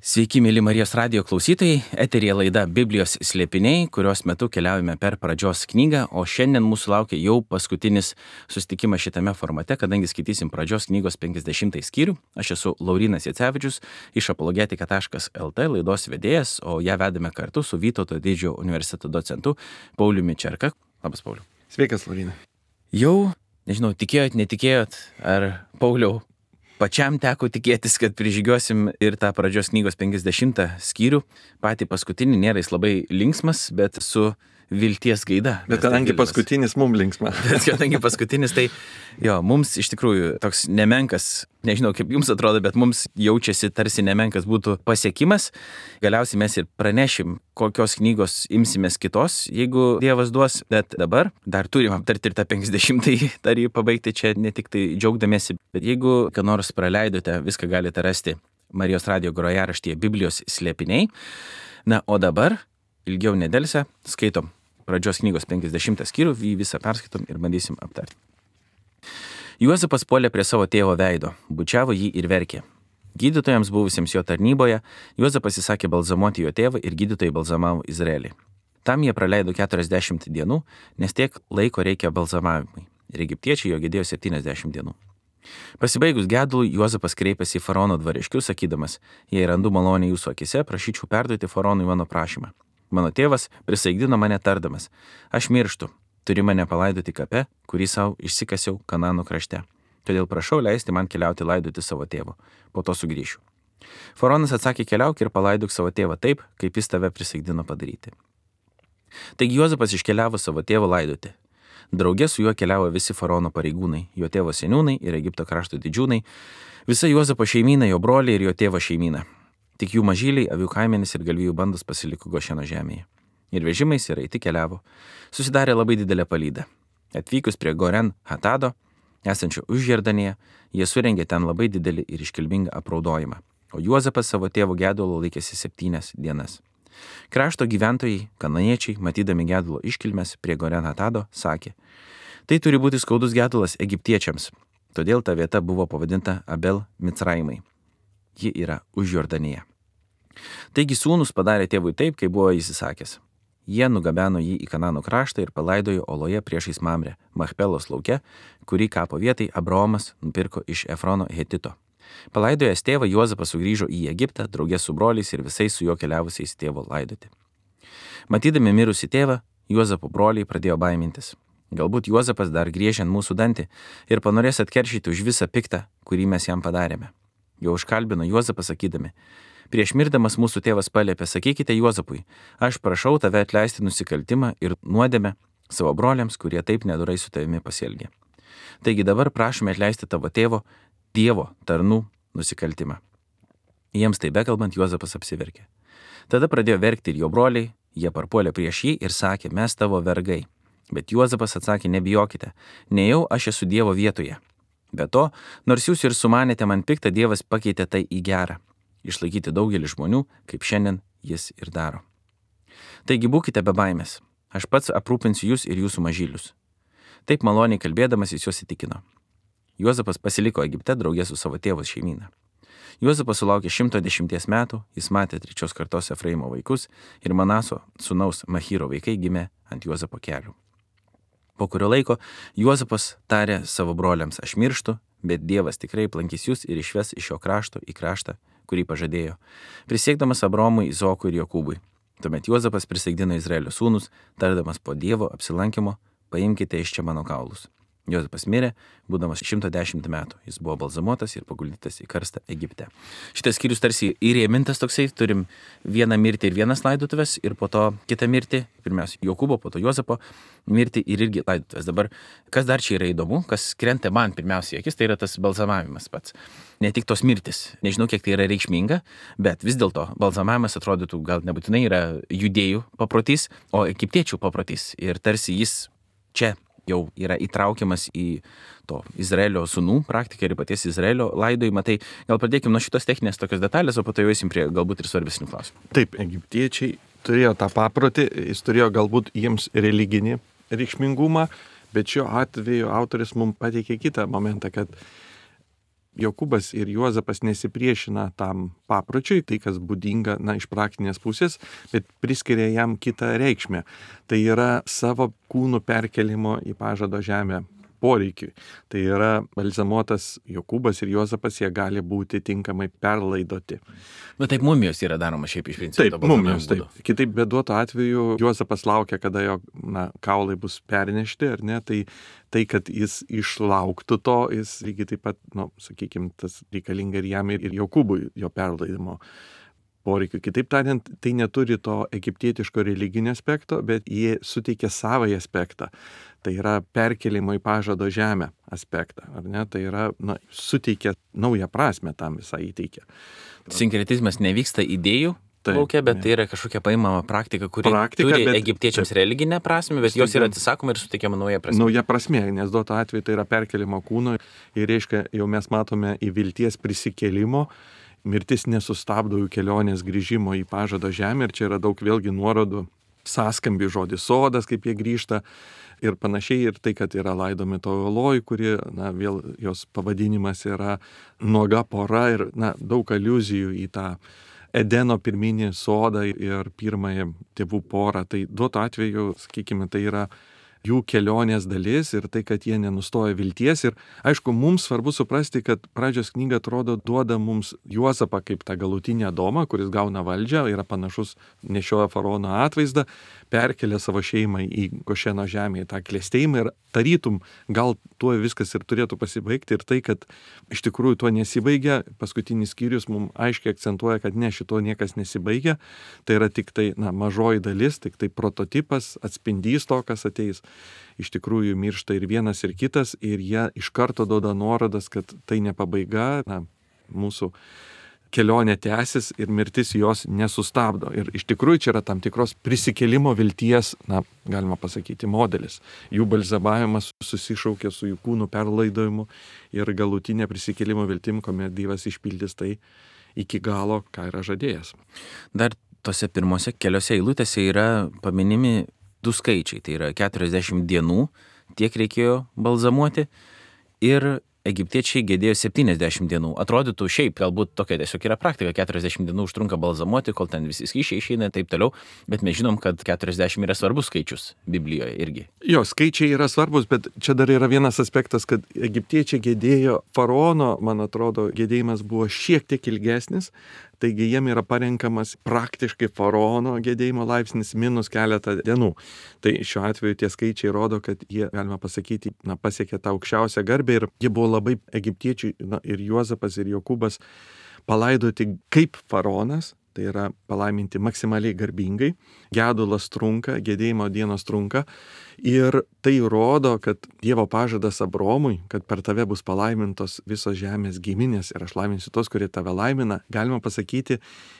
Sveiki, mėly Marijos radijo klausytojai, eteryje laida Biblijos slėpiniai, kurios metu keliaujame per pradžios knygą, o šiandien mūsų laukia jau paskutinis susitikimas šitame formate, kadangi skaitysim pradžios knygos 50 skyrių. Aš esu Laurynas Jacevičius iš apologetika.lt laidos vedėjas, o ją vedame kartu su Vytauto Didžiojo universiteto docentu Pauliumi Čerka. Labas, Pauliau. Sveikas, Laurynai. Jau, nežinau, tikėjot, netikėjot, ar Pauliau, pačiam teko tikėtis, kad prižygiosim ir tą pradžios knygos 50 skyrių. Patį paskutinį nėra jis labai linksmas, bet su vilties gaida. Bet kadangi paskutinis mums linksma. Bet kadangi paskutinis, tai jo, mums iš tikrųjų toks nemenkas, nežinau kaip jums atrodo, bet mums jaučiasi tarsi nemenkas būtų pasiekimas. Galiausiai mes ir pranešim, kokios knygos imsimės kitos, jeigu Dievas duos, bet dabar dar turim aptarti ir tą 50-ąjį, dar jį pabaigti čia ne tik tai džiaugdamėsi, bet jeigu ką nors praleidote, viską galite rasti Marijos radijo grojaraštyje Biblijos slėpiniai. Na, o dabar, ilgiau nedelsę, skaitom pradžios knygos 50 skyrių, jį visą perskaitom ir bandysim aptarti. Juozapas puolė prie savo tėvo veido, bučiavo jį ir verkė. Gydytojams buvusiems jo tarnyboje, Juozapas įsakė balzamuoti jo tėvą ir gydytojai balzamavo Izraelį. Tam jie praleido 40 dienų, nes tiek laiko reikia balzamavimui. Ir egiptiečiai jo gedėjo 70 dienų. Pasibaigus gedului, Juozapas kreipėsi į faraono dvariškius, sakydamas, jei randu malonę jūsų akise, prašyčiau perduoti faraonui mano prašymą. Mano tėvas prisaigdino mane tardamas, aš mirštu, turi mane palaidoti kape, kurį savo išsikasiau Kanano krašte. Todėl prašau leisti man keliauti laidoti savo tėvo, po to sugrįšiu. Faraonas atsakė, keliauk ir palaidok savo tėvą taip, kaip jis tave prisaigdino padaryti. Taigi Juozapas iškeliavo savo tėvo laidoti. Drauge su juo keliavo visi faraono pareigūnai, jo tėvo seniūnai ir Egipto krašto didžiūnai, visa Juozapo šeimyna, jo broliai ir jo tėvo šeimyna. Tik jų mažyliai, avių kaimenės ir galvijų bandos pasiliko Gošeno žemėje. Ir vežimais ir eiti keliavo. Susidarė labai didelė palyda. Atvykus prie Goren Hatado, esančio už Jordanėje, jie surengė ten labai didelį ir iškilmingą apraudojimą. O Juozapas savo tėvo gedulo laikėsi 7 dienas. Krašto gyventojai, kananiečiai, matydami gedulo iškilmes prie Goren Hatado, sakė, tai turi būti skaudus gedulas egiptiečiams. Todėl ta vieta buvo pavadinta Abel Micraimai. Ji yra už Jordanėje. Taigi sūnus padarė tėvui taip, kaip buvo jis įsakęs. Jie nugabeno jį į Kanano kraštą ir palaidojo oloje priešais Mamrę, Machpelos lauke, kurį kapo vietai Abraomas nupirko iš Efrono Hetito. Palaidojęs tėvą, Juozapas sugrįžo į Egiptą, draugė su broliais ir visais su juo keliavusiais tėvo laidoti. Matydami mirusį tėvą, Juozapo broliai pradėjo baimintis. Galbūt Juozapas dar griežia ant mūsų dantį ir panorės atkeršyti už visą piktą, kurį mes jam padarėme. Jau užkalbino Juozapą sakydami, prieš mirdamas mūsų tėvas paliepė, sakykite Juozapui, aš prašau tave atleisti nusikaltimą ir nuodėmę savo broliams, kurie taip nedorai su tavimi pasielgė. Taigi dabar prašome atleisti tavo tėvo, Dievo tarnų nusikaltimą. Jiems tai bekalbant, Juozapas apsiverkė. Tada pradėjo verkti ir jo broliai, jie parpuolė prieš jį ir sakė, mes tavo vergai. Bet Juozapas atsakė, nebijokite, nejau aš esu Dievo vietoje. Be to, nors jūs ir sumanėte man piktą, Dievas pakeitė tai į gerą. Išlaikyti daugelį žmonių, kaip šiandien jis ir daro. Taigi būkite be baimės. Aš pats aprūpinsiu jūs ir jūsų mažylius. Taip maloniai kalbėdamas jis juos įtikino. Juozapas pasiliko Egipte draugė su savo tėvos šeimyna. Juozapas sulaukė 110 metų, jis matė 3 kartos Efraimo vaikus ir Manaso sūnaus Machyro vaikai gimė ant Juozapo kelių. Po kurio laiko Juozapas tarė savo broliams, aš mirštu, bet Dievas tikrai aplankys jūs ir išves iš šio krašto į kraštą, kurį pažadėjo, prisiekdamas Abraomui, Izokui ir Jokūbui. Tuomet Juozapas prisaigdino Izraelio sūnus, tardamas po Dievo apsilankymo, paimkite iš čia mano kaulus. Juozapas mirė, būdamas 110 metų. Jis buvo balzamuotas ir paguldytas į karstą Egipte. Šitas skyrius tarsi įrėmintas toksai, turim vieną mirtį ir vienas laidotuvės ir po to kitą mirtį, pirmiausia Jokūbo, po to Juozapo mirtį ir irgi laidotuvės. Dabar, kas dar čia yra įdomu, kas krenta man pirmiausiai akis, tai yra tas balzamavimas pats. Ne tik tos mirtis, nežinau kiek tai yra reikšminga, bet vis dėlto balzamavimas atrodytų gal nebūtinai yra judėjų paprotys, o egiptiečių paprotys ir tarsi jis čia jau yra įtraukiamas į to Izraelio sūnų praktiką ir paties Izraelio laidojimą. Tai gal pradėkim nuo šitos techninės tokios detalės, o po to jau eisim prie galbūt ir svarbesnių klausimų. Taip, egiptiečiai turėjo tą paprotį, jis turėjo galbūt jiems religinį reikšmingumą, bet šiuo atveju autoris mums pateikė kitą momentą, kad Jokūbas ir Juozapas nesipriešina tam papročiui, tai kas būdinga, iš praktinės pusės, bet priskiria jam kitą reikšmę. Tai yra savo kūnų perkelimo į pažado žemę poreikiui. Tai yra balzamuotas Jokūbas ir Juozapas, jie gali būti tinkamai perlaidoti. Bet taip mumijos yra daroma šiaip iš principo. Taip, mumijos, taip. Kitaip beduoto atveju Juozapas laukia, kada jo kaulai bus pernešti, ar ne, tai kad jis išlauktų to, jis lygiai taip pat, sakykime, tas reikalinga ir jam, ir Jokūbui jo perlaidimo poreikių. Kitaip tariant, tai neturi to egiptietiško religinio aspekto, bet jie suteikia savąjį aspektą. Tai yra perkelimo į pažado žemę aspektą, ar ne? Tai yra, suteikia naują prasme tam visai įteikia. Sinkretizmas nevyksta idėjų laukia, bet tai yra kažkokia paimama praktika, kuri turi egiptiečiams religinę prasme, bet jos yra atsisakoma ir suteikiama nauja prasme. Nauja prasme, nes duoto atveju tai yra perkelimo kūno ir reiškia, jau mes matome į vilties prisikėlimo. Mirtis nesustabdo jų kelionės grįžimo į pažado žemę ir čia yra daug vėlgi nuorodų, sąskambi žodis sodas, kaip jie grįžta ir panašiai, ir tai, kad yra laidomi to oloj, kuri, vėl jos pavadinimas yra nuoga pora ir, daug aliuzijų į tą Edeno pirminį sodą ir pirmąją tėvų porą. Tai duoto atveju, sakykime, tai yra jų kelionės dalis ir tai, kad jie nenustoja vilties. Ir aišku, mums svarbu suprasti, kad pradžios knyga atrodo duoda mums Juozapą kaip tą galutinį Adomą, kuris gauna valdžią, yra panašus, nešioja faraono atvaizdą, perkelia savo šeimą į Gošeno žemę, į tą klestėjimą ir tarytum, gal tuo viskas ir turėtų pasibaigti. Ir tai, kad iš tikrųjų tuo nesibaigia, paskutinis skyrius mums aiškiai akcentuoja, kad ne, šito niekas nesibaigia. Tai yra tik tai mažoji dalis, tik tai prototipas, atspindys to, kas ateis. Iš tikrųjų miršta ir vienas, ir kitas, ir jie iš karto duoda nuorodas, kad tai ne pabaiga, mūsų kelionė tęsis ir mirtis jos nesustabdo. Ir iš tikrųjų čia yra tam tikros prisikėlimo vilties, galima pasakyti, modelis. Jų balzamavimas susišaukia su jų kūnų perlaidojimu ir galutinė prisikėlimo viltim, kuomet Dievas išpildys tai iki galo, ką yra žadėjęs. Dar tose pirmose keliose eilutėse yra paminimi du skaičiai, tai yra 40 dienų, tiek reikėjo balzamuoti ir egiptiečiai gedėjo 70 dienų. Atrodytų šiaip, galbūt tokia tiesiog yra praktika, 40 dienų užtrunka balzamuoti, kol ten visi skysčiai išeina ir taip toliau, bet mes žinom, kad 40 yra svarbus skaičius Biblijoje irgi. Jo, skaičiai yra svarbus, bet čia dar yra vienas aspektas, kad egiptiečiai gedėjo faraono, man atrodo, gedėjimas buvo šiek tiek ilgesnis, taigi jiem yra parenkamas praktiškai faraono gedėjimo laipsnis minus keletą dienų. Tai šiuo atveju tie skaičiai rodo, kad jie, galima pasakyti, pasiekė tą aukščiausią garbę ir jie buvo labai egiptiečiai, ir Juozapas, ir Jokūbas palaidoti kaip faraonas, tai yra palaiminti maksimaliai garbingai, gedulas trunka, gedėjimo dienos trunka ir tai rodo, kad Dievo pažadas Abromui, kad per tave bus palaimintos visos žemės giminės ir aš laiminsiu tos, kurie tave laimina, galima pasakyti,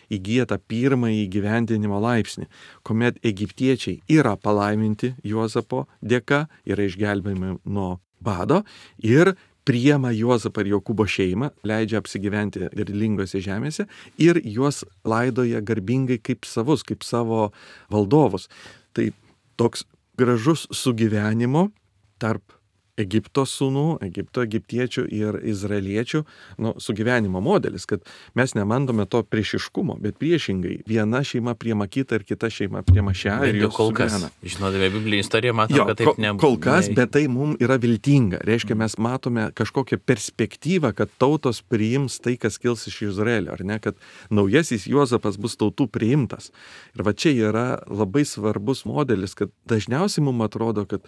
įgyja tą pirmąjį įgyvendinimo laipsnį, kuomet egiptiečiai yra palaiminti Juozapo dėka, yra išgelbėjami nuo bado ir priema Juozapą ir Jokūbo šeimą, leidžia apsigyventi derlingose žemėse ir juos laidoja garbingai kaip savus, kaip savo valdovus. Tai toks gražus sugyvenimo tarp Egipto sūnų, egiptiečių ir izraeliečių sugyvenimo modelis, kad mes nemandome to priešiškumo, bet priešingai viena šeima priema kitą ir kita šeima priema šią ir jos sugyvena. Žinodami Biblijos istoriją, matome, kad taip nebūna. Kol kas, bet tai mums yra viltinga. Reiškia, mes matome kažkokią perspektyvą, kad tautos priims tai, kas kils iš Izraelio, ar ne, kad naujasis Juozapas bus tautų priimtas. Ir va čia yra labai svarbus modelis, kad dažniausiai mums atrodo, kad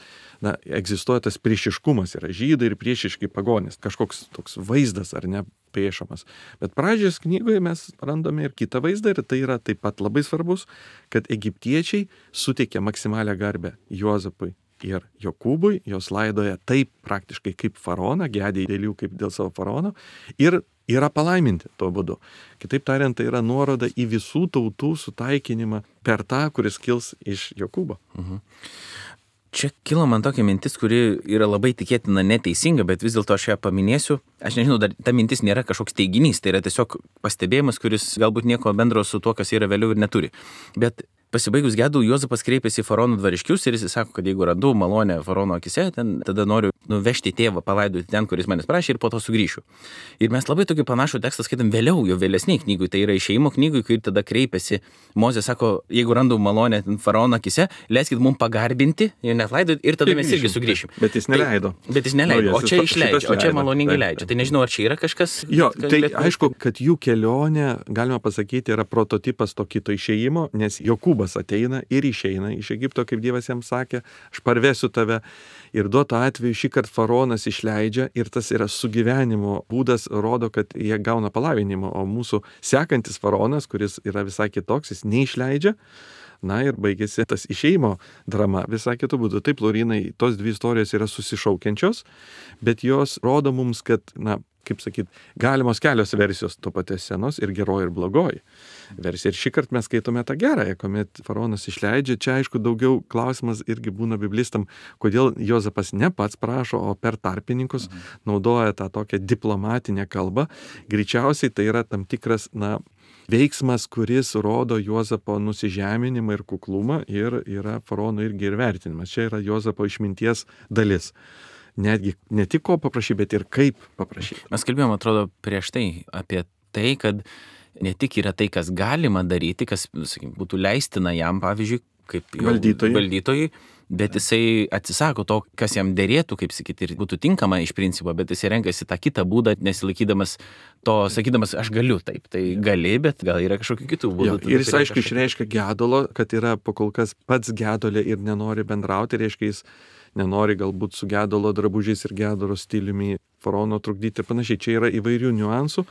egzistuoja tas priešiškumas, yra žydai ir priešiški pagonys, kažkoks toks vaizdas ar ne priešamas. Bet pradžios knygoje mes randame ir kitą vaizdą ir tai yra taip pat labai svarbus, kad egiptiečiai suteikia maksimalią garbę Juozapui ir Jokūbui, jos laidoja taip praktiškai kaip faraoną, gedė dėl jų kaip dėl savo faraono ir yra palaiminti tuo būdu. Kitaip tariant, tai yra nuoroda į visų tautų sutaikinimą per tą, kuris kils iš Jokūbo. Čia kilo man tokia mintis, kuri yra labai tikėtina neteisinga, bet vis dėlto aš ją paminėsiu. Aš nežinau, dar ta mintis nėra kažkoks teiginys, tai yra tiesiog pastebėjimas, kuris galbūt nieko bendro su tuo, kas yra vėliau ir neturi. Bet Pasibaigus gedų, Juozapas kreipėsi į faraono dvariškius ir jis sako, kad jeigu randu malonę faraono akise, tada noriu nuvežti tėvą palaidoti ten, kuris manęs prašė ir po to sugrįšiu. Ir mes labai tokį panašų tekstą skaitom vėliau, jo vėlesniai knygui, tai yra Išėjimo knygui, kai tada kreipėsi. Mozė sako, jeigu randu malonę faraono akise, leiskit mums pagarbinti ir net laidoti ir tada mes irgi sugrįšim. Bet jis neleido. Bet jis neleido, o čia išleidžia, o čia maloningai leidžia. Tai nežinau, ar čia yra kažkas. Jo, tai aišku, kad jų kelionė, galima pasakyti, yra prototipas to kito išėjimo, nes Jokūbas ateina ir išeina iš Egipto, kaip Dievas jam sakė, aš parvesiu tave. Ir duoto atveju šį kartą faraonas išleidžia ir tas yra sugyvenimo būdas, rodo, kad jie gauna palaiminimą, o mūsų sekantis faraonas, kuris yra visai kitoks, jis neišleidžia. Na ir baigėsi tas išėjimo drama visai kitų būdų. Taip, Laurinai, tos dvi istorijos yra susišaukiančios, bet jos rodo mums, kad, kaip sakyt, galimos kelios versijos to paties senos ir geroji ir blogoji versija. Ir šį kartą mes skaitome tą gerąją, kuomet faraonas išleidžia. Čia, aišku, daugiau klausimas irgi būna biblistam, kodėl Juozapas ne pats prašo, o per tarpininkus naudoja tą tokią diplomatinę kalbą. Greičiausiai tai yra tam tikras, veiksmas, kuris rodo Juozapo nusižeminimą ir kuklumą ir yra faraono irgi ir vertinimas. Čia yra Juozapo išminties dalis. Netgi ne tik ko paprašyti, bet ir kaip paprašyti. Mes kalbėjome, atrodo, prieš tai apie tai, kad ne tik yra tai, kas galima daryti, kas, sakykim, būtų leistina jam, pavyzdžiui, kaip valdytojui, bet jisai atsisako to, kas jam dėrėtų, kaip sakyti, ir būtų tinkama iš principo, bet jisai renkasi tą kitą būdą, nesilaikydamas to, sakydamas, aš galiu taip, tai gali, bet gal yra kažkokių kitų būdų. Ir jis, aišku, išreiškia gedulo, kad yra pakol kas pats gedulė ir nenori bendrauti, reiškia jis nenori galbūt su gedulo drabužiais ir gedulo stiliumi faraono trukdyti ir panašiai. Čia yra įvairių niuansų,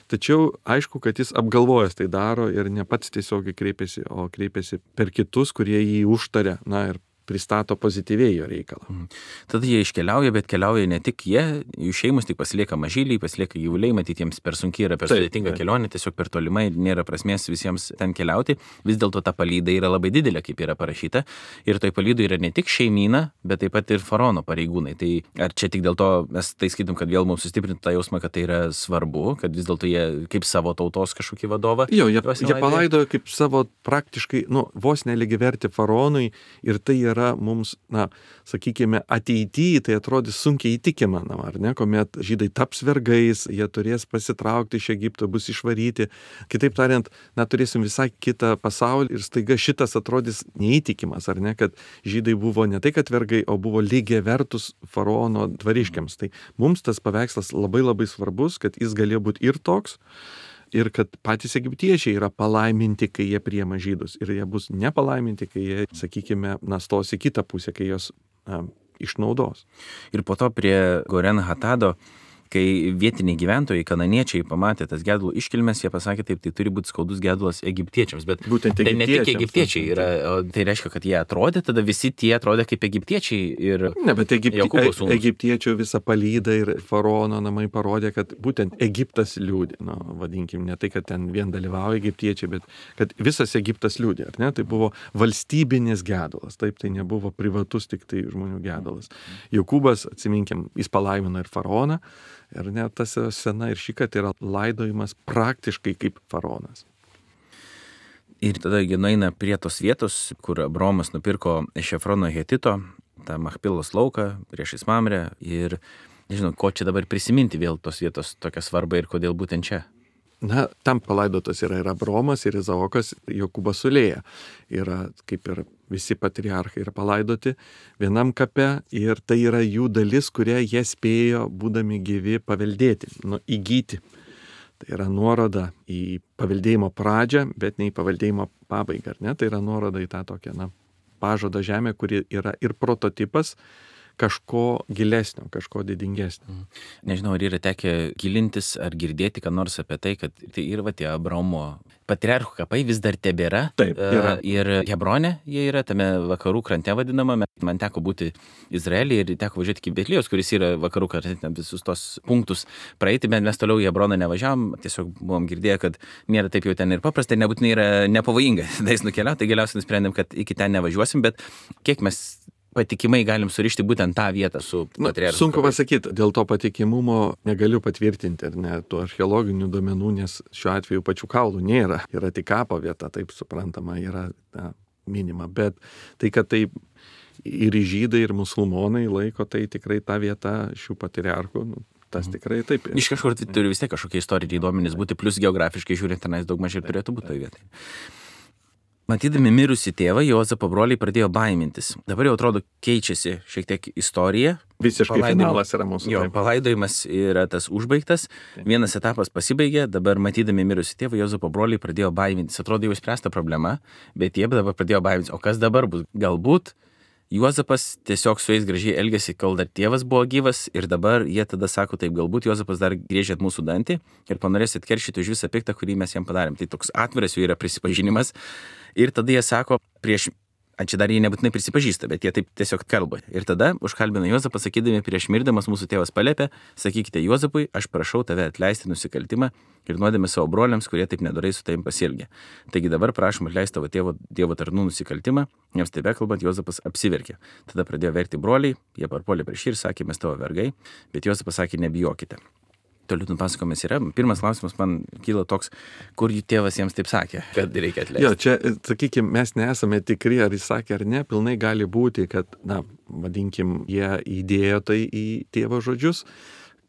tačiau aišku, kad jis apgalvojęs tai daro ir ne pats tiesiogiai kreipiasi, o kreipiasi per kitus, kurie jį užtaria, ir pristato pozityviai jo reikalą. Tada jie iškeliauja, bet keliauja ne tik jie, jų šeimos tik pasilieka mažyliai, pasilieka gyvuliai, matyti jiems per sunkiai yra, per sudėtinga kelionė, tiesiog per tolimai, nėra prasmės visiems ten keliauti. Vis dėlto ta palyda yra labai didelė, kaip yra parašyta. Ir toj palydoj yra ne tik šeimyna, bet taip pat ir faraono pareigūnai. Tai ar čia tik dėl to mes tai skaitom, kad vėl mums sustiprintų tą jausmą, kad tai yra svarbu, kad vis dėlto jie kaip savo tautos kažkokį vadovą. Jo, jie palaidojo kaip savo praktiškai, vos nelygiavertį faraonui ir tai yra mums, sakykime, ateityje tai atrodys sunkiai įtikimama, ar ne, kuomet žydai taps vergais, jie turės pasitraukti iš Egipto, bus išvaryti. Kitaip tariant, turėsim visai kitą pasaulį ir staiga šitas atrodys neįtikimas, ar ne, kad žydai buvo ne tai, kad vergai, o buvo lygiai vertus faraono dvariškiams. Tai mums tas paveikslas labai labai svarbus, kad jis galėjo būti ir toks, ir kad patys egiptiečiai yra palaiminti, kai jie priima žydus. Ir jie bus nepalaiminti, kai jie, sakykime, stos į kitą pusę, kai jos išnaudos. Ir po to prie Goren Hatado, kai vietiniai gyventojai, kananiečiai pamatė tas gedulo iškilmes, jie pasakė taip, tai turi būti skaudus gedulas egiptiečiams. Bet būtent tai ne tik egiptiečiai yra, tai reiškia, kad jie atrodė, tada visi tie atrodė kaip egiptiečiai. Ir ne, bet egiptiečių visą palydą ir faraono namai parodė, kad būtent Egiptas liūdė. Vadinkim, ne tai, kad ten vien dalyvauja egiptiečiai, bet kad visas Egiptas liūdė. Ar ne? Tai buvo valstybinis gedulas. Taip, tai nebuvo privatus tik tai žmonių gedulas. Jokūbas, atsiminkim, jis palaimino ir faraoną. Ir net tas sena ir šį kartą yra laidojimas praktiškai kaip faraonas. Ir tada jie nueina prie tos vietos, kur Abraomas nupirko iš Efrono Hetito, tą Machpilos lauką priešais Mamrę. Ir nežinau, ko čia dabar prisiminti vėl tos vietos tokią svarbą ir kodėl būtent čia. Tam palaidotas yra ir Abraomas, ir Izaokas, Jokūbas su Lėja. Yra kaip ir visi patriarchai yra palaidoti vienam kape ir tai yra jų dalis, kurią jie spėjo, būdami gyvi, paveldėti, įgyti. Tai yra nuoroda į paveldėjimo pradžią, bet ne į paveldėjimo pabaigą, ar ne? Tai yra nuoroda į tą tokią, pažado žemę, kuri yra ir prototipas kažko gilesnio, kažko didingesnio. Nežinau, ar yra tekę gilintis ar girdėti, ką nors apie tai, kad tai ir tie Abraomo patriarchų kapai vis dar tebėra. Taip, yra. Ir Hebronė, jie yra tame vakarų krante vadinama. Man teko būti Izraelyje ir teko važiuoti iki Betlijos, kuris yra vakarų krante, visus tos punktus praeiti, bet mes toliau į Hebroną nevažiavom, tiesiog buvom girdėję, kad nėra taip jau ten ir paprasta, nebūtinai yra nepavojinga. Tais nukeliauti, tai galiausiai nusprendėm, kad iki ten nevažiuosim, bet kiek mes patikimai galim surišti būtent tą vietą su patriarchu. Sunku pasakyti, dėl to patikimumo negaliu patvirtinti ir net tų archeologinių duomenų, nes šiuo atveju pačių kaulų nėra. Yra tik kapo vieta, taip suprantama, yra minima. Bet tai, kad tai ir žydai, ir musulmonai laiko, tai tikrai ta vieta šių patriarchų, tas tikrai taip. Iš kažkur tai turi vis tiek kažkokie istoriniai duomenys būti, plus geografiškai žiūrint, tenais daug mažiau turėtų būti toje vietoje. Matydami mirusį tėvą, Juozapo broliai pradėjo baimintis. Dabar jau atrodo keičiasi šiek tiek istorija. Visiškai finalas yra mūsų. Jo, palaidojimas yra tas užbaigtas. Vienas etapas pasibaigė, dabar matydami mirusį tėvą, Juozapo broliai pradėjo baimintis. Atrodo jau spręsta problema, bet jie dabar pradėjo baimintis. O kas dabar bus? Galbūt Juozapas tiesiog su jais gražiai elgėsi, kol dar tėvas buvo gyvas ir dabar jie tada sako, taip, galbūt Juozapas dar griežėt mūsų dantį ir panorės atkeršyti už visą piktą, kurį mes jam padarėm. Tai toks atviras jų yra prisipažinimas. Ir tada jie sako, čia dar jie nebūtinai prisipažįsta, bet jie taip tiesiog kalba. Ir tada užkalbina Juozapą, sakydami, prieš mirdamas mūsų tėvas paliepė, sakykite Juozapui, aš prašau tave atleisti nusikaltimą ir nuodėmę savo broliams, kurie taip nedorai su tavim pasielgė. Taigi dabar prašom atleisti tavo tėvo Dievo tarnų nusikaltimą, jiems taip kalbant, Juozapas apsiverkė. Tada pradėjo verkti broliai, jie parpuolė prieš jį ir sakė, mes tavo vergai, bet Juozapas sakė, nebijokite. Toliau nupasakojimas yra. Pirmas klausimas man kyla toks, kur jų tėvas jiems taip sakė, kad reikia atleisti. Jo, čia, sakykime, mes nesame tikri, ar jis sakė ar ne, pilnai gali būti, kad, vadinkim, jie įdėjo tai į tėvo žodžius,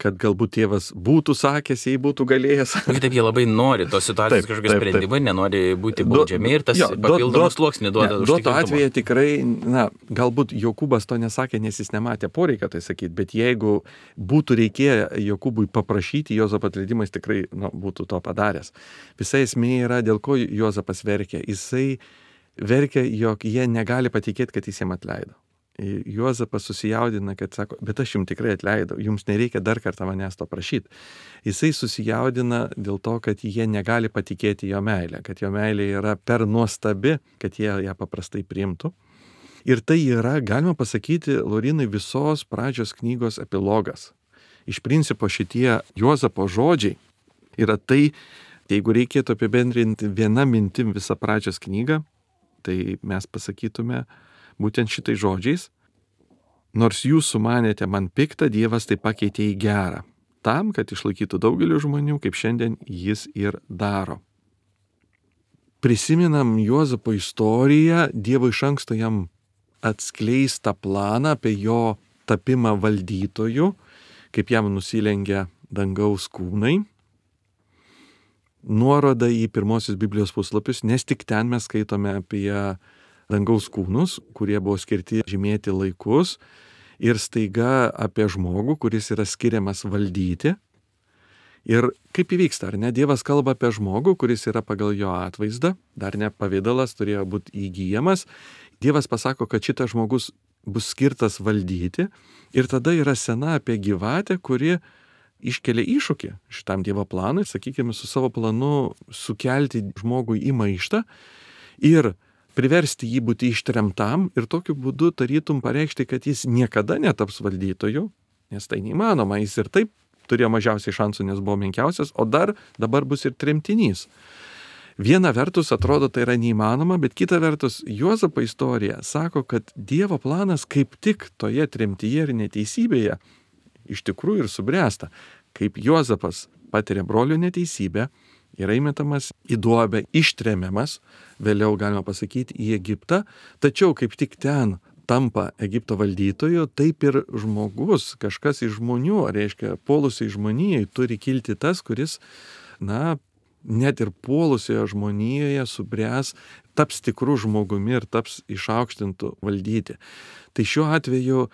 kad galbūt tėvas būtų sakęs, jei būtų galėjęs. Taip, jie labai nori tos situacijos kažkokios sprendimai, nenori būti baudžiami ir tas papildomas sluoksnį duoda. Duoto atveju tikrai, galbūt Jokūbas to nesakė, nes jis nematė poreikio tai sakyti, bet jeigu būtų reikėję Jokūbui paprašyti Juozapą atleidimą, jis tikrai būtų to padaręs. Visa esmė yra, dėl ko Juozapas verkia. Jisai verkia, jog jie negali patikėti, kad jis jam atleido. Juozapas susijaudina, kad sako, bet aš jums tikrai atleidau, jums nereikia dar kartą manęs to prašyti. Jisai susijaudina dėl to, kad jie negali patikėti jo meilę, kad jo meilė yra per nuostabi, kad jie ją paprastai priimtų. Ir tai yra, galima pasakyti, Laurinai, visos pradžios knygos epilogas. Iš principo šitie Juozapo žodžiai yra tai, jeigu reikėtų apibendrinti viena mintim visą pradžios knygą, tai mes pasakytume būtent šitais žodžiais, nors jūs sumanėte man piktą, Dievas tai pakeitė į gerą, tam, kad išlaikytų daugelį žmonių, kaip šiandien jis ir daro. Prisiminam Juozapo istoriją, Dievo iš anksto jam atskleistą planą apie jo tapimą valdytoju, kaip jam nusilengia dangaus kūnai. Nuoroda į pirmosius Biblijos puslapius, nes tik ten mes skaitome apie dangaus kūnus, kurie buvo skirti žymėti laikus ir staiga apie žmogų, kuris yra skiriamas valdyti. Ir kaip įvyksta, ar ne? Dievas kalba apie žmogų, kuris yra pagal jo atvaizdą, dar ne pavidalas turėjo būti įgyjamas. Dievas pasako, kad šitas žmogus bus skirtas valdyti ir tada yra scena apie gyvatę, kuri iškelia iššūkį šitam Dievo planui, sakykime, su savo planu sukelti žmogui į maištą ir priversti jį būti ištremtam ir tokiu būdu tarytum pareikšti, kad jis niekada netaps valdytoju, nes tai neįmanoma, jis ir taip turėjo mažiausiai šansų, nes buvo menkiausias, o dabar bus ir tremtinys. Viena vertus atrodo tai yra neįmanoma, bet kita vertus Juozapo istorija sako, kad Dievo planas kaip tik toje tremtyje ir neteisybėje iš tikrųjų ir subręsta. Kaip Juozapas patiria brolių neteisybę, yra įmetamas į duobę, ištremiamas, vėliau galima pasakyti į Egiptą, tačiau kaip tik ten tampa Egipto valdytoju, taip ir žmogus, kažkas iš žmonių, reiškia, puolusiai žmonijai turi kilti tas, kuris, net ir puolusioje žmonijoje subręs, taps tikrų žmogumi ir taps išaukštintų valdyti. Tai šiuo atveju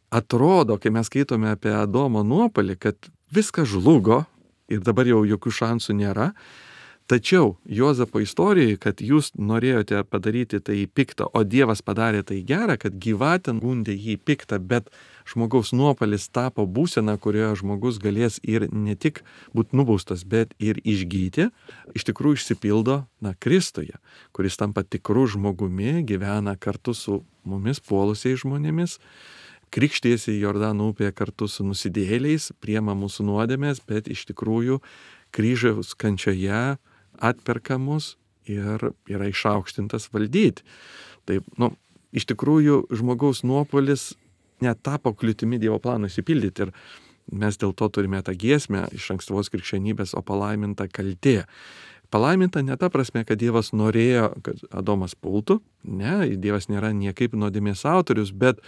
atrodo, kai mes skaitome apie Adomo nuopalį, kad viskas žlugo, ir dabar jau jokių šansų nėra. Tačiau Juozapo istorijai, kad jūs norėjote padaryti tai piktą, o Dievas padarė tai gerą, kad gyvatė gundė jį piktą, bet žmogaus nuopalis tapo būsena, kurioje žmogus galės ir ne tik būti nubaustas, bet ir išgyti, iš tikrųjų išsipildo Kristuje, kuris tampa tikrų žmogumi, gyvena kartu su mumis puolusiais žmonėmis, krikštėsi Jordano upėje kartu su nusidėjėliais, priema mūsų nuodėmės, bet iš tikrųjų kryžiaus kančioje atperka mus ir yra išaukštintas valdyti. Tai, iš tikrųjų žmogaus nuopuolis netapo kliūtimi Dievo planui išsipildyti ir mes dėl to turime tą giesmę iš ankstyvos krikščionybės, o palaiminta kaltė. Palaiminta ne ta prasme, kad Dievas norėjo, kad Adomas pultų, ne, Dievas nėra niekaip nuodėmės autorius, bet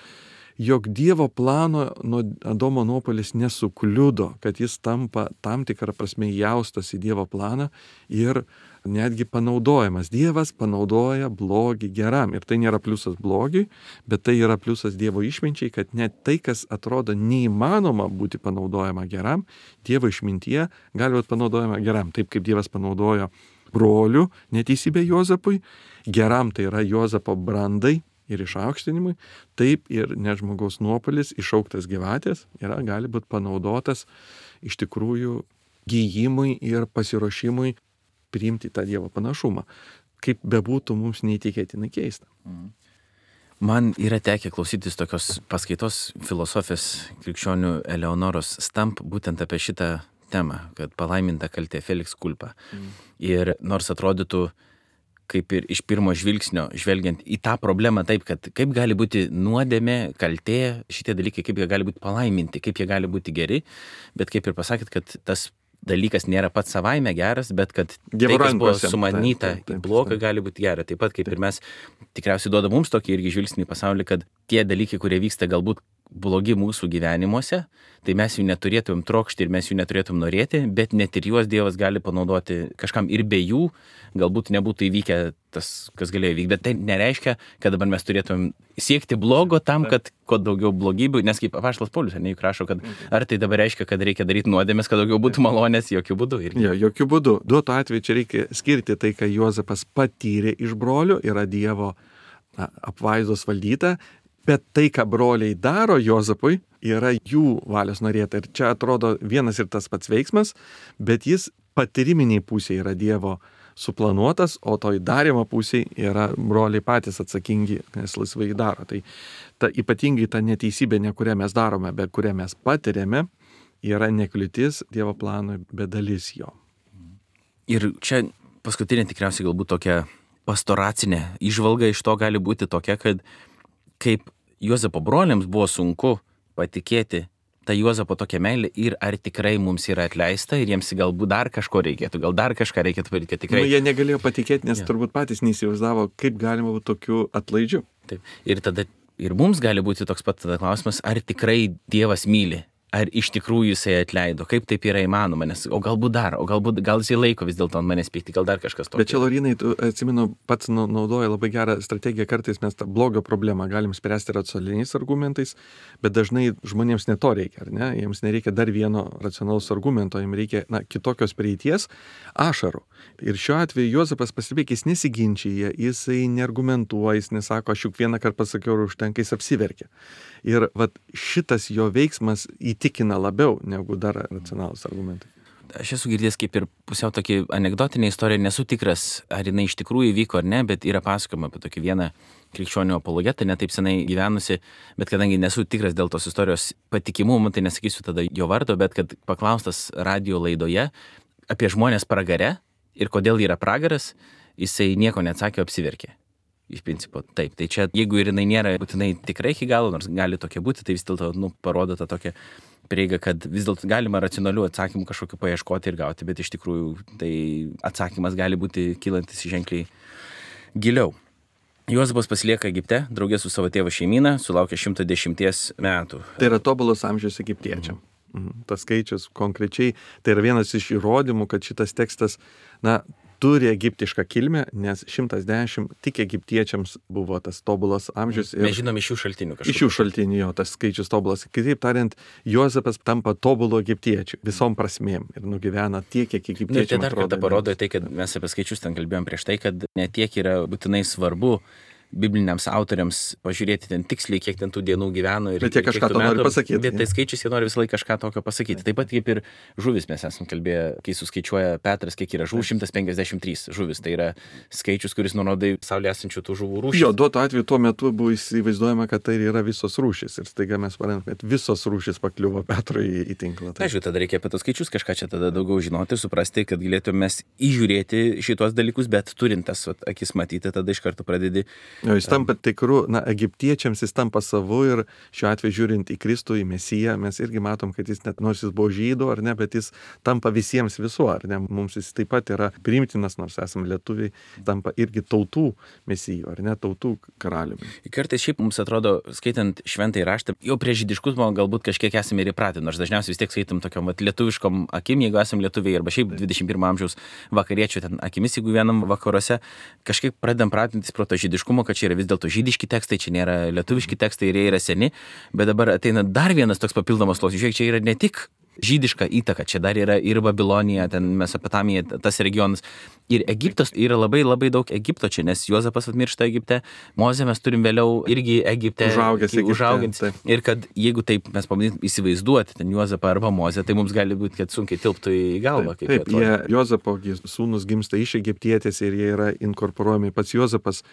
jog Dievo plano nuo Adomo nuopuolis nesukliudo, kad jis tampa tam tikrą prasme įaustas į Dievo planą ir netgi panaudojamas. Dievas panaudoja blogį geram. Ir tai nėra pliusas blogiui, bet tai yra pliusas Dievo išminčiai, kad net tai, kas atrodo neįmanoma būti panaudojama geram, Dievo išmintyje gali būti panaudojama geram. Taip kaip Dievas panaudojo brolių neteisybę Juozapui, geram tai yra Juozapo brandai ir išaukštinimui, taip ir net žmogaus nuopuolis, išauktas gyvatės, gali būti panaudotas iš tikrųjų gijimui ir pasiruošimui priimti tą Dievo panašumą. Kaip bebūtų mums neįtikėtinai keista. Man yra tekę klausytis tokios paskaitos filosofės krikščionių Eleonoros Stamp būtent apie šitą temą, kad palaiminta kaltė Felix culpa. Ir nors atrodytų, kaip ir iš pirmo žvilgsnio, žvelgiant į tą problemą taip, kad kaip gali būti nuodėmė, kaltė, šitie dalykai, kaip jie gali būti palaiminti, kaip jie gali būti geri, bet kaip ir pasakėt, kad tas dalykas nėra pats savaime geras, bet kad tai, kas buvo sumanyta bloga, gali būti gera. Taip pat kaip ir mes tikriausiai duoda mums tokį irgi žvilgsnį į pasaulį, kad tie dalykai, kurie vyksta galbūt blogi mūsų gyvenimuose, tai mes jų neturėtum trokšti ir mes jų neturėtum norėti, bet net ir juos Dievas gali panaudoti kažkam ir be jų, galbūt nebūtų įvykę tas, kas galėjo įvykti. Bet tai nereiškia, kad dabar mes turėtum siekti blogo tam, kad kuo daugiau blogybių, nes kaip apaštalas Paulius, juk rašo, kad ar tai dabar reiškia, kad reikia daryti nuodėmės, kad daugiau būtų malonės, jokių būdų. Jo, jokių būdų. Duotu atveju čia reikia skirti tai, ką Juozapas patyrė iš brolių, yra Dievo apvaizdos valdyta, bet tai, ką broliai daro Juozapui, yra jų valios norėta. Ir čia atrodo vienas ir tas pats veiksmas, bet jis patyriminiai pusėje yra Dievo suplanuotas, o toj darymo pusėje yra broliai patys atsakingi, nes laisvai daro. Tai ypatingai ta neteisybė, ne kurią mes darome, bet kurią mes patiriame, yra nekliūtis Dievo planui, bet dalis jo. Ir čia paskutinė tikriausiai galbūt tokia pastoracinė įžvalga iš to gali būti tokia, kad kaip Juozapo broliams buvo sunku patikėti tą Juozapo tokią meilę ir ar tikrai mums yra atleista ir jiems galbūt dar kažko reikėtų, gal dar kažką reikėtų padaryti, kad tikrai. Jie negalėjo patikėti, nes turbūt patys neįsivaizdavo, kaip galima būti tokiu atlaidžiu. Taip. Ir tada ir mums gali būti toks pat tada klausimas, ar tikrai Dievas myli. Ar iš tikrųjų jisai atleido, kaip taip yra įmanoma, nes o galbūt dar, gal jisai laiko vis dėlto ant manęs pykti, gal dar kažkas tokio. Bet čia, Laurinai, tu atsimenu, pats naudoja labai gerą strategiją, kartais mes tą blogio problemą galim spręsti racionaliais argumentais, bet dažnai žmonėms ne to reikia, ar ne? Jiems nereikia dar vieno racionalaus argumento, jiems reikia kitokios prieities, ašarų. Ir šiuo atveju Juozapas pastebėk, jis nesiginčyja, jisai neargumentuoja, jis nesako, aš juk vieną kartą pasakiau ir užtenka, jis apsiverkia. Ir šitas jo veiksmas įtikina labiau negu dar racionalūs argumentai. Aš esu girdėjęs kaip ir pusiau tokį anekdotinę istoriją, nesu tikras, ar jinai iš tikrųjų įvyko ar ne, bet yra pasakojama apie tokį vieną krikščionių apologetą, netaip senai gyvenusi, bet kadangi nesu tikras dėl tos istorijos patikimumo, tai nesakysiu tada jo vardo, bet kad paklaustas radio laidoje apie žmonės pragare ir kodėl yra pragaras, jisai nieko neatsakė, apsiverkė. Iš principo, taip. Tai čia, jeigu ir jinai nėra būtinai tikrai iki galo, nors gali tokia būti, tai vis dėlto parodo tą tokią prieigą, kad vis dėlto galima racionalių atsakymų kažkokiu paieškoti ir gauti, bet iš tikrųjų tai atsakymas gali būti kylantis ženkliai giliau. Juozapas pasilieka Egipte, draugė su savo tėvo šeimyna, sulaukia 110 metų. Tai yra tobulas amžius egiptiečiam. Tas skaičius konkrečiai, tai yra vienas iš įrodymų, kad šitas tekstas, turi egiptišką kilmę, nes 110 tik egiptiečiams buvo tas tobulas amžius. Mes žinom iš šių šaltinių kažkaip. Iš šių šaltinių jo, tas skaičius tobulas. Kitaip tariant, Juozapas tampa tobulu egiptiečiu visom prasmėm ir nugyvena tiek, kiek egiptiečiam atrodo. Tai dar kartą parodo tai, kad mes apie skaičius ten kalbėjom prieš tai, kad ne tiek yra būtinai svarbu bibliniams autoriams pažiūrėti ten tiksliai, kiek ten tų dienų gyveno. Bet jie kažką to nori pasakyti. Bet tai skaičius jie nori visą laiką kažką tokio pasakyti. Taip pat kaip ir žuvis mes esam kalbėję, kai suskaičiuoja Petras, kiek yra žuvų, 153 žuvis. Tai yra skaičius, kuris nurodo Saulėje esančių tų žuvų rūšis. Jo, duotu atveju tuo metu buvo įsivaizduojama, kad tai yra visos rūšis. Ir staiga mes parėm, kad visos rūšis pakliuvo Petrui į tinklą. Tai aišku, tada reikia apie tos skaičius kažką čia tada daugiau žinoti ir suprasti, kad galėtume mes įžiūrėti šitos dalykus, bet turint tas akis matyti, tada iš karto pradedi Jis tampa tikru, egiptiečiams jis tampa savu ir šiuo atveju žiūrint į Kristų, į Mesiją, mes irgi matom, kad jis net nors jis buvo žydų, ar ne, bet jis tampa visiems visų, ar ne, mums jis taip pat yra priimtinas, nors esame lietuviai, tampa irgi tautų Mesijų, ar ne, tautų karaliumi. Kartais šiaip mums atrodo, skaitant šventąjį raštą, jau prie žydiškumo galbūt kažkiek esame ir įpratę, nors dažniausiai vis tiek skaitom tokiom lietuviškom akim, jeigu esame lietuviai, arba šiaip 21 amžiaus vakariečių ten akimis, jeigu vienam vakaruose, kažkaip pradedam pratintis pro to žydiškumo, kad čia yra vis dėlto žydiški tekstai, čia nėra lietuviški tekstai ir jie yra seni, bet dabar ateina dar vienas toks papildomas sluoksnis. Žiūrėk, čia yra ne tik žydiška įtaka, čia dar yra ir Babilonija, ten Mesopotamija, tas regionas. Ir Egiptas yra labai labai daug Egipto čia, nes Juozapas atmiršta Egipte, Mozę mes turim vėliau irgi Egipte užaugęs. Ir kad jeigu taip mes pabandytum įsivaizduoti ten Juozapą arba Mozę, tai mums gali būti, kad sunkiai tilptų į galvą. Taip, Juozapo sūnus gimsta iš egiptietės ir jie yra inkorporuojami. Pats Juozapas,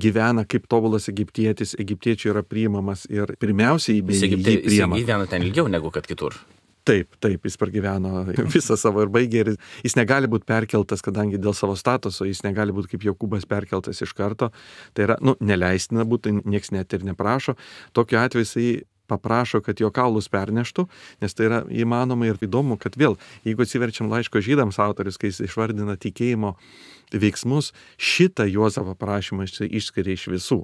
gyvena kaip tobulas egiptietis, egiptiečių yra priimamas ir pirmiausiai jį priima. Jis gyvena ten ilgiau negu kad kitur. Taip, jis pragyveno visą savo ir baigė ir jis negali būti perkeltas, kadangi dėl savo statuso jis negali būti kaip Jokūbas perkeltas iš karto. Tai yra, neleistina būtų, nieks net ir neprašo. Tokiu atveju jisai paprašo, kad jo kaulus perneštų, nes tai yra įmanoma ir įdomu, kad vėl, jeigu atsiverčiam laiško žydams autorius, kai jis išvardina tikėjimo veiksmus, šitą Juozapo prašymą išskiria iš visų.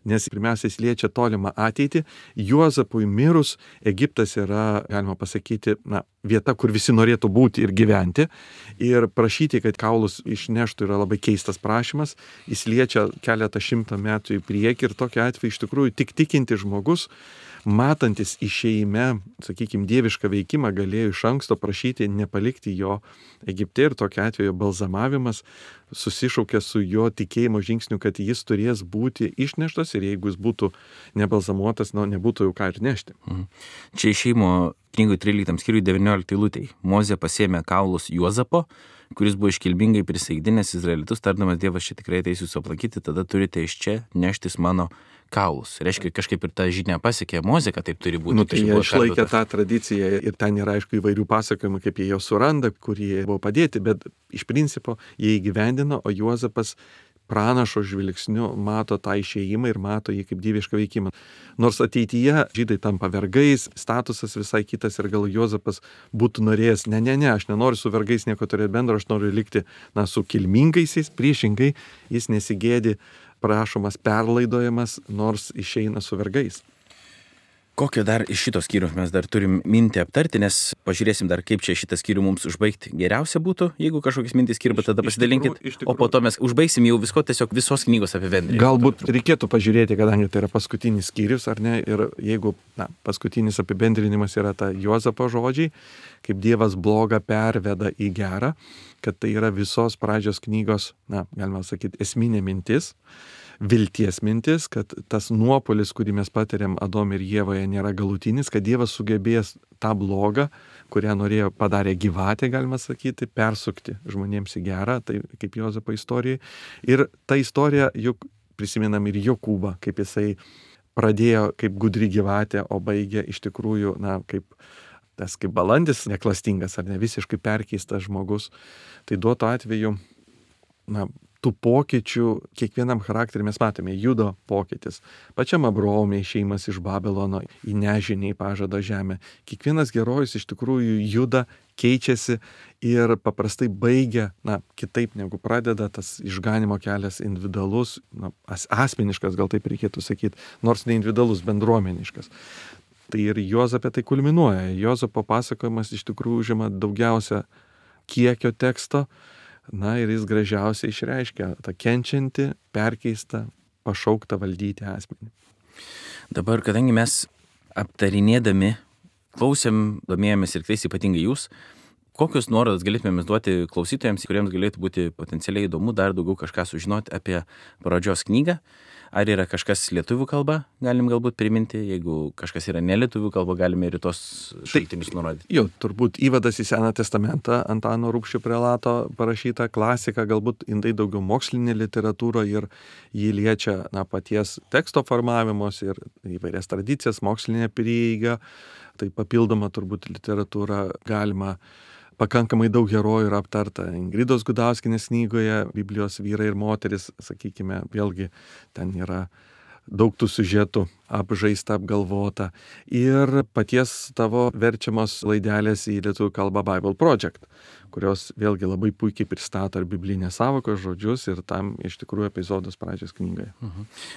Nes pirmiausia, jis liečia tolimą ateitį. Juozapui mirus, Egiptas yra, galima pasakyti, vieta, kur visi norėtų būti ir gyventi. Ir prašyti, kad kaulus išneštų, yra labai keistas prašymas. Jis liečia keletą šimtą metų į priekį ir tokiu atveju iš tikrųjų tik tikinti žmogus, matantis išėjime, sakykime, dievišką veikimą, galėjo iš anksto prašyti nepalikti jo Egipte ir tokiu atveju balzamavimas susišaukia su jo tikėjimo žingsniu, kad jis turės būti išneštas ir jeigu jis būtų nebalzamuotas, nebūtų jau ką ir nešti. Čia išėjimo knygų 13 skyriui 19 eilutei. Mozė pasėmė kaulus Juozapo, kuris buvo iškilmingai prisaigdinęs izraelitus, tardamas Dievas čia tikrai ateis jūsų aplankyti, tada turite iš čia neštis mano kaulus. Reiškia, kažkaip ir ta žinia pasiekė Mozę, kad taip turi būti. Tai jie išlaikė tą tradiciją ir ten yra, aišku, įvairių pasakojimų, kaip jie jo suranda, kur jie buvo padėti, bet iš principo jie įgyvendino, o Juozapas pranašo žvilgsniu mato tą išėjimą ir mato jį kaip dievišką veikimą. Nors ateityje žydai tampa vergais, statusas visai kitas ir gal Juozapas būtų norėjęs, aš nenoriu su vergais nieko turėti bendro, aš noriu likti su kilmingaisiais, priešingai jis nesigėdi, prašomas perlaidojamas, nors išeina su vergais. Kokio dar iš šito skyrių mes dar turim mintį aptarti, nes pažiūrėsim dar, kaip čia šitą skyrių mums užbaigti. Geriausia būtų, jeigu kažkokias mintys kirba, tada pasidalinkit, o po to mes užbaigsim jau visos knygos apibendrinimą. Galbūt reikėtų pažiūrėti, kadangi tai yra paskutinis skyrius, ar ne, ir jeigu paskutinis apibendrinimas yra ta Juozapo žodžiai, kaip Dievas blogą perveda į gerą, kad tai yra visos pradžios knygos, galima sakyti, esminė mintis, vilties mintis, kad tas nuopolis, kurį mes patiriam Adome ir Ievoje, nėra galutinis, kad Dievas sugebės tą blogą, kurią padarė gyvatė, galima sakyti, persukti žmonėms į gerą, tai kaip Juozapo istorijai. Ir ta istorija, juk prisimenam ir Jokūbą, kaip jisai pradėjo kaip gudri gyvatė, o baigė iš tikrųjų, kaip balandis neklastingas ar ne visiškai perkeistas žmogus. Tai duoto atveju, tų pokyčių kiekvienam charakteriui mes matome. Judo pokytis. Pačiam Abraome išėjimas iš Babilono į nežinį į pažado žemę. Kiekvienas herojus iš tikrųjų juda, keičiasi ir paprastai baigia, kitaip negu pradeda, tas išganimo kelias individualus, asmeniškas, gal taip reikėtų sakyti, nors ne individualus, bendruomeniškas. Tai ir Juozape tai kulminuoja. Juozapo pasakojimas iš tikrųjų užima daugiausia kiekio teksto, ir jis gražiausiai išreiškia tą kenčiantį, perkeistą, pašauktą valdyti asmenį. Dabar, kadangi mes aptarinėdami, klausėm, domėjomės ir kreis ypatingai jūs, kokius nuorodas galėtume duoti klausytojams, kuriems galėtų būti potencialiai įdomu dar daugiau kažką sužinoti apie pradžios knygą? Ar yra kažkas lietuvių kalba, galim galbūt priminti, jeigu kažkas yra ne lietuvių kalba, galime ir tos šaltinius nurodyti. Jo, turbūt įvadas į Seną testamentą Antano Rubšio prelato parašyta klasika, galbūt indai daugiau mokslinė literatūra ir jį liečia paties teksto formavimos ir įvairias tradicijas, mokslinė prieiga, tai papildoma turbūt literatūra galima pakankamai daug herojų yra aptarta Ingridos Gudauskienės knygoje Biblijos vyrai ir moteris, sakykime, vėlgi ten yra daug tų siužetų apžaista, apgalvota. Ir paties tavo verčiamos laidelės į lietuvių kalbą Bible Project, kurios vėlgi labai puikiai pristato ir biblinės sąvokos žodžius ir tam iš tikrųjų epizodus pradžios knygoje.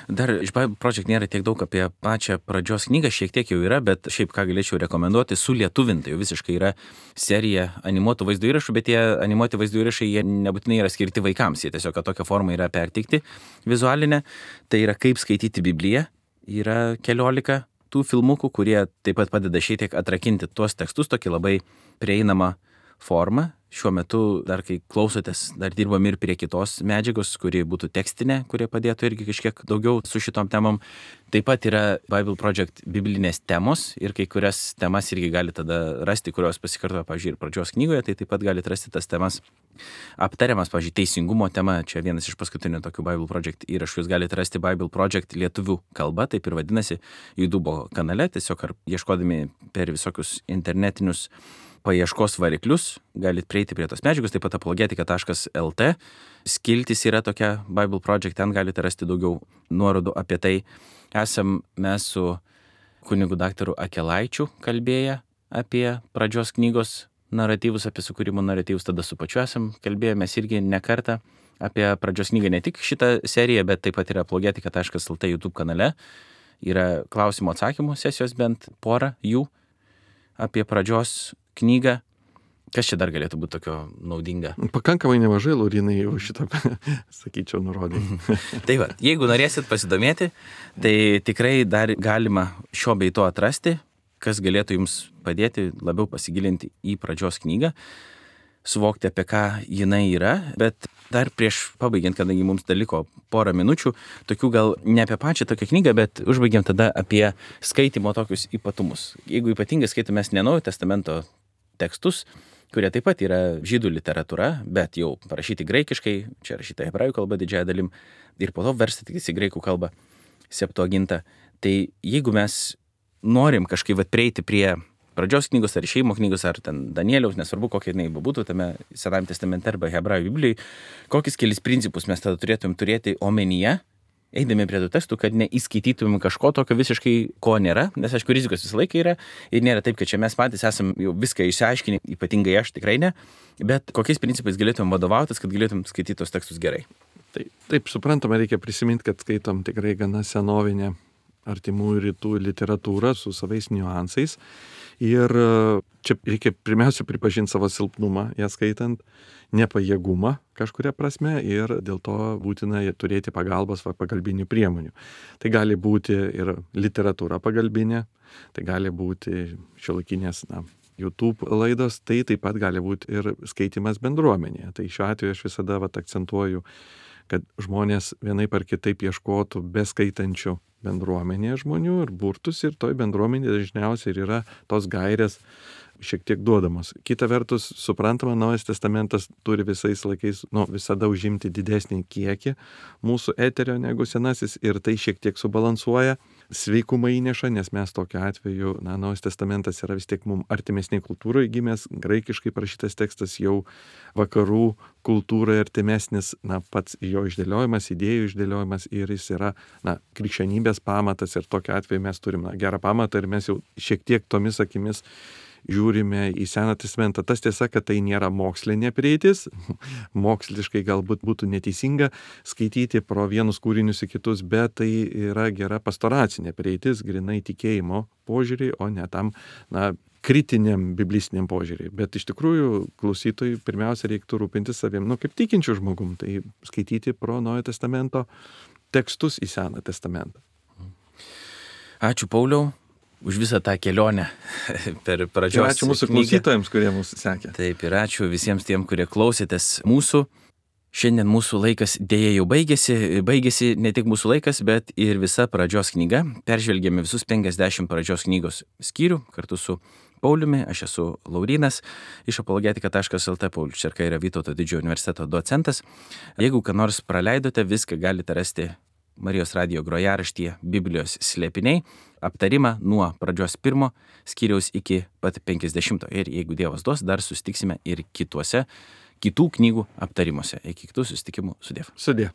Dar iš Bible Project nėra tiek daug apie pačią pradžios knygą, šiek tiek jau yra, bet šiaip ką galėčiau rekomenduoti, sulietuvinta jau visiškai yra serija animuotų vaizdo įrašų, bet tie animuoti vaizdo įrašai, jie nebūtinai yra skirti vaikams, jie tiesiog tokia forma yra perteikti vizualinė. Tai yra kaip skaityti Bibliją, yra 14 tų filmukų, kurie taip pat padeda šiek tiek atrakinti tuos tekstus, tokį labai prieinamą formą. Šiuo metu, dar kai klausotės, dar dirbam ir prie kitos medžiagos, kuri būtų tekstinė, kurie padėtų irgi kažkiek daugiau su šitom temom. Taip pat yra Bible Project biblinės temos ir kai kurias temas irgi gali tada rasti, kurios pasikartoja, pavyzdžiui, ir pradžios knygoje, tai taip pat galite rasti tas temas aptariamas, pavyzdžiui, teisingumo tema. Čia vienas iš paskutinių tokių Bible Project įrašų. Jūs galite rasti Bible Project lietuvių kalba, taip ir vadinasi, YouTube kanale, tiesiog ar ieškodami per visokius internetinius paieškos variklius, galite prieiti prie tos medžiagos, taip pat apologetika.lt. Skiltis yra tokia Bible Project, ten galite rasti daugiau nuorodų apie tai. Esam mes su kunigu daktaru Akelaičiu kalbėję apie pradžios knygos naratyvus, apie sukūrimo naratyvus, tada su pačiu esam kalbėjomės irgi ne kartą apie pradžios knygą, ne tik šitą seriją, bet taip pat yra apologetika.lt YouTube kanale. Yra klausimų atsakymų sesijos, bent porą jų apie pradžios knygą. Kas čia dar galėtų būti tokio naudinga? Pakankamai nemažai, Laurinai, jau šitą, sakyčiau, nurodai. Tai va, jeigu norėsit pasidomėti, tai tikrai dar galima šio bei to atrasti, kas galėtų jums padėti labiau pasigilinti į pradžios knygą, suvokti, apie ką jinai yra, bet dar prieš pabaigiant, kadangi mums dar liko porą minučių, tokių gal ne apie pačią tokią knygą, bet užbaigiam tada apie skaitimo tokius ypatumus. Jeigu ypatingai skaitome ne Naujojo testamento tekstus, kurie taip pat yra žydų literatūra, bet jau parašyti graikiškai, čia rašyta hebrajų kalba didžiąją dalim, ir po to versti tik į graikų kalbą Septuagintą. Tai jeigu mes norim kažkaip prieiti prie pradžios knygos ar išėjimo knygos, ar ten Danieliaus, nesvarbu kokia jinai būtų tame Senajame testamente arba hebrajų Biblijai, kokius kelis principus mes tada turėtumėm turėti omenyje, eidami prie tų tekstų, kad neįskaitytumėm kažko tokio visiškai, ko nėra, nes aišku, rizikos visą laiką yra ir nėra taip, kad čia mes patys esam jau viską išsiaiškinę, ypatingai aš tikrai ne, bet kokiais principais galėtumėm vadovautis, kad galėtumėm skaityti tos tekstus gerai. Taip, suprantama, reikia prisiminti, kad skaitom tikrai gana senovinę artimųjų rytų literatūrą su savais niuansais. Ir čia reikia pirmiausia pripažinti savo silpnumą, ją skaitant, nepajėgumą kažkuria prasme ir dėl to būtina turėti pagalbos pagalbinių priemonių. Tai gali būti ir literatūra pagalbinė, tai gali būti šiuolaikinės YouTube laidos, tai taip pat gali būti ir skaitimas bendruomenėje. Tai šiuo atveju aš visada akcentuoju, kad žmonės vienaip ar kitaip ieškotų beskaitančių bendruomenėje žmonių ir burtus ir toj bendruomenėje dažniausiai ir yra tos gairės šiek tiek duodamos. Kita vertus, suprantama, Naujas testamentas turi visais laikais, visada užimti didesnį kiekį mūsų eterio negu Senasis ir tai šiek tiek subalansuoja, sveikumą įneša, nes mes tokiu atveju, Naujas testamentas yra vis tiek mums artimesnė kultūroje gimęs, graikiškai parašytas tekstas jau vakarų kultūrai artimesnis, pats jo išdėliojimas, idėjų išdėliojimas ir jis yra, krikščionybės pamatas ir tokiu atveju mes turime gerą pamatą ir mes jau šiek tiek tomis akimis žiūrime į Seną testamentą. Tas tiesa, kad tai nėra mokslinė prieitis, moksliškai galbūt būtų neteisinga skaityti pro vienus kūrinius į kitus, bet tai yra gera pastoracinė prieitis, grinai tikėjimo požiūriai, o ne tam, kritiniam biblistiniam požiūriai. Bet iš tikrųjų klausytojui pirmiausia reiktų rūpintis savim, kaip tikinčių žmogum, tai skaityti pro Naujojo testamento tekstus į Seną testamentą. Ačiū, Pauliau, už visą tą kelionę per pradžios knygą. Ačiū mūsų klausytojams, kurie mūsų sekė. Taip, ir ačiū visiems tiem, kurie klausėtės mūsų. Šiandien mūsų laikas dėja jau baigėsi ne tik mūsų laikas, bet ir visa pradžios knyga. Peržvelgėme visus 50 pradžios knygos skyrių kartu su Pauliumi, aš esu Laurynas iš apologetika.lt, Paulius Čerka yra Vytauto didžiojo universiteto docentas. Jeigu ką nors praleidote, viską galite rasti Marijos radijo grojaraštyje Biblijos slėpiniai aptarimą nuo pradžios 1 skyriaus iki pat 50. Ir jeigu Dievas duos, dar susitiksime ir kitų knygų aptarimuose. Iki kitų susitikimų. Sudiev. Sudie.